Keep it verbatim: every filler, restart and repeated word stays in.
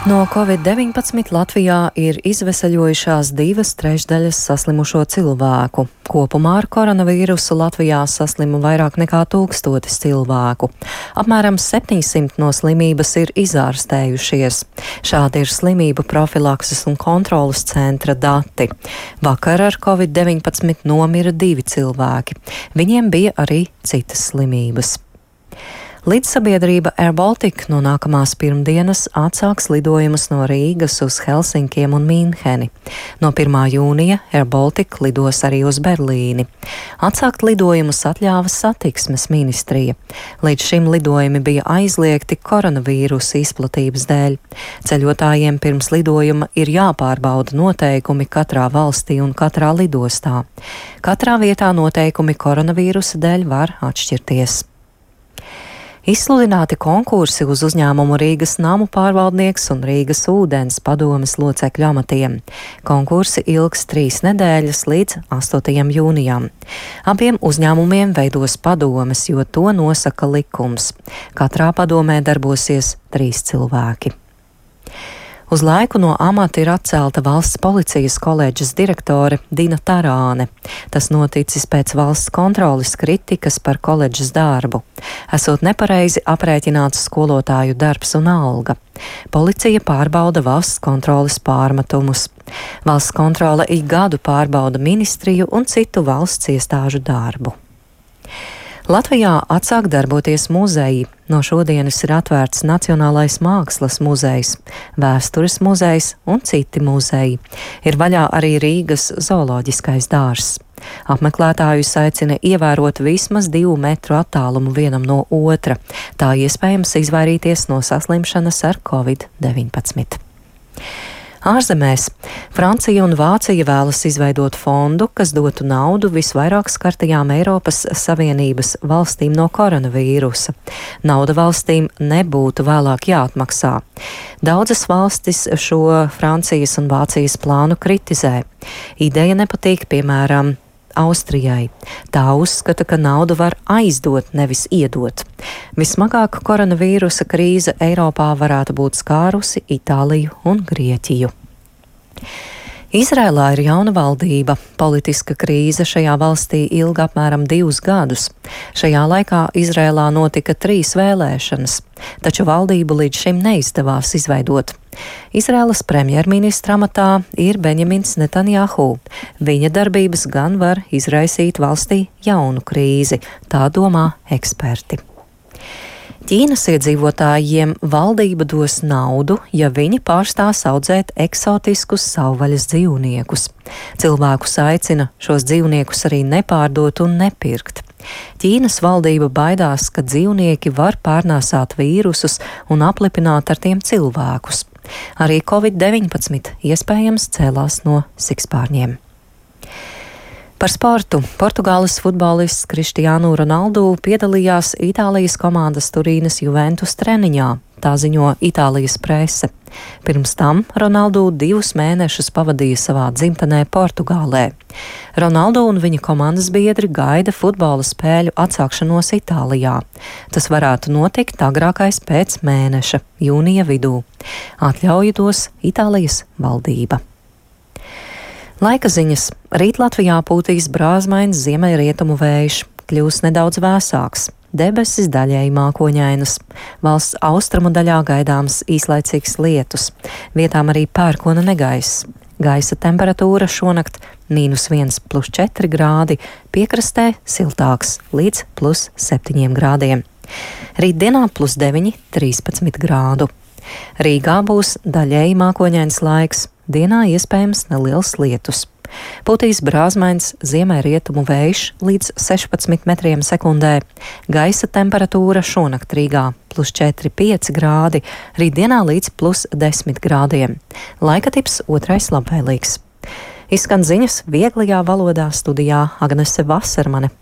No covid deviņpadsmit Latvijā ir izveseļojušās divas trešdaļas saslimušo cilvēku. Kopumā ar koronavīrusu Latvijā saslima vairāk nekā tūkstotis cilvēku. Apmēram septiņsimt no slimības ir izārstējušies. Šādi ir slimību profilakses un kontrolas centra dati. Vakar ar covid deviņpadsmit nomira divi cilvēki. Viņiem bija arī citas slimības. Līdzsabiedrība Air Baltica no nākamās pirmdienas atsāks lidojumus no Rīgas uz Helsinkiem un Mīnheni. No pirmā jūnija Air Baltica lidos arī uz Berlīni. Atsākt lidojumus atļāva satiksmes ministrija. Līdz šim lidojumi bija aizliegti koronavīrusa izplatības dēļ. Ceļotājiem pirms lidojuma ir jāpārbauda noteikumi katrā valstī un katrā lidostā. Katrā vietā noteikumi koronavīrusa dēļ var atšķirties. Izsludināti konkursi uz uzņēmumu Rīgas namu pārvaldnieks un Rīgas ūdens padomes locekļu amatiem. Konkursi ilgs trīs nedēļas līdz astotajam jūnijam. Abiem uzņēmumiem veidos padomes, jo to nosaka likums. Katrā padomē darbosies trīs cilvēki. Uz laiku no amata ir atcelta valsts policijas koledžas direktore Dina Tarāne. Tas noticis pēc valsts kontroles kritikas par koledžas darbu. Esot nepareizi aprēķināts skolotāju darbs un alga. Policija pārbauda valsts kontroles pārmetumus. Valsts kontrole ik gadu pārbauda ministriju un citu valsts iestāžu darbu. Latvijā atsāk darboties muzeji. No šodienas ir atvērts Nacionālais mākslas muzejs, Vēstures muzejs un citi muzeji. Ir vaļā arī Rīgas zooloģiskais dārzs. Apmeklētājus aicina ievērot vismaz divu metru attālumu vienam no otra. Tā iespējams izvairīties no saslimšanas ar covid deviņpadsmit. Ārzemēs Francija un Vācija vēlas izveidot fondu, kas dotu naudu visvairāk skartajām Eiropas Savienības valstīm no koronavīrusa. Nauda valstīm nebūtu vēlāk jāatmaksā. Daudzas valstis šo Francijas un Vācijas plānu kritizē. Ideja nepatīk, piemēram, Austrijai. Tā uzskata, ka naudu var aizdot, nevis iedot. Vismagāk koronavīrusa krīze Eiropā varētu būt skārusi Itāliju un Grieķiju. Izrēlā ir jauna valdība. Politiska krīze šajā valstī ilga apmēram divus gadus. Šajā laikā Izrēlā notika trīs vēlēšanas, taču valdību līdz šim neizdevās izveidot. Izrēlas premjerministra amatā ir Benjamins Netanjahu. Viņa darbības gan var izraisīt valstī jaunu krīzi, tā domā eksperti. Ķīnas iedzīvotājiem valdība dos naudu, ja viņi pārstās audzēt eksotiskus savvaļas dzīvniekus. Cilvēkus aicina šos dzīvniekus arī nepārdot un nepirkt. Ķīnas valdība baidās, ka dzīvnieki var pārnēsāt vīrusus un aplipināt ar tiem cilvēkus. Arī covid deviņpadsmit iespējams cēlās no sikspārņiem. Par sportu. Portugāles futbolists Cristiano Ronaldo piedalījās Itālijas komandas Turīnas Juventus treniņā, tā ziņo Itālijas prese. Pirms tam Ronaldo divus mēnešus pavadīja savā dzimtenē Portugālē. Ronaldo un viņa komandas biedri gaida futbola spēļu atsākšanos Itālijā. Tas varētu notikt agrākais pēc mēneša, jūnija vidū. Atļauju dos Itālijas valdība. Laika ziņas. Rīt Latvijā pūtīs brāzmains ziemeļrietumu vējš, kļūs nedaudz vēsāks. Debesis daļēji mākoņainas. Valsts austrumu daļā gaidāms īslaicīgs lietus. Vietām arī pērkona negaiss. Gaisa temperatūra šonakt mīnus viens plus četri grādi, piekrastē siltāks līdz plus septiņiem grādiem. Rītdienā plus deviņi, trīspadsmit grādu. Rīgā būs daļēji mākoņains laiks. Dienā iespējams neliels lietus. Pūtīs brāzmains ziemeļrietumu vējš līdz sešpadsmit metriem sekundē. Gaisa temperatūra šonakt Rīgā plus četri, pieci grādi, rītdienā līdz plus desmit grādiem. Laika tips otrais labvēlīgs. Izskan ziņas vieglajā valodā, studijā Agnese Vasarmane.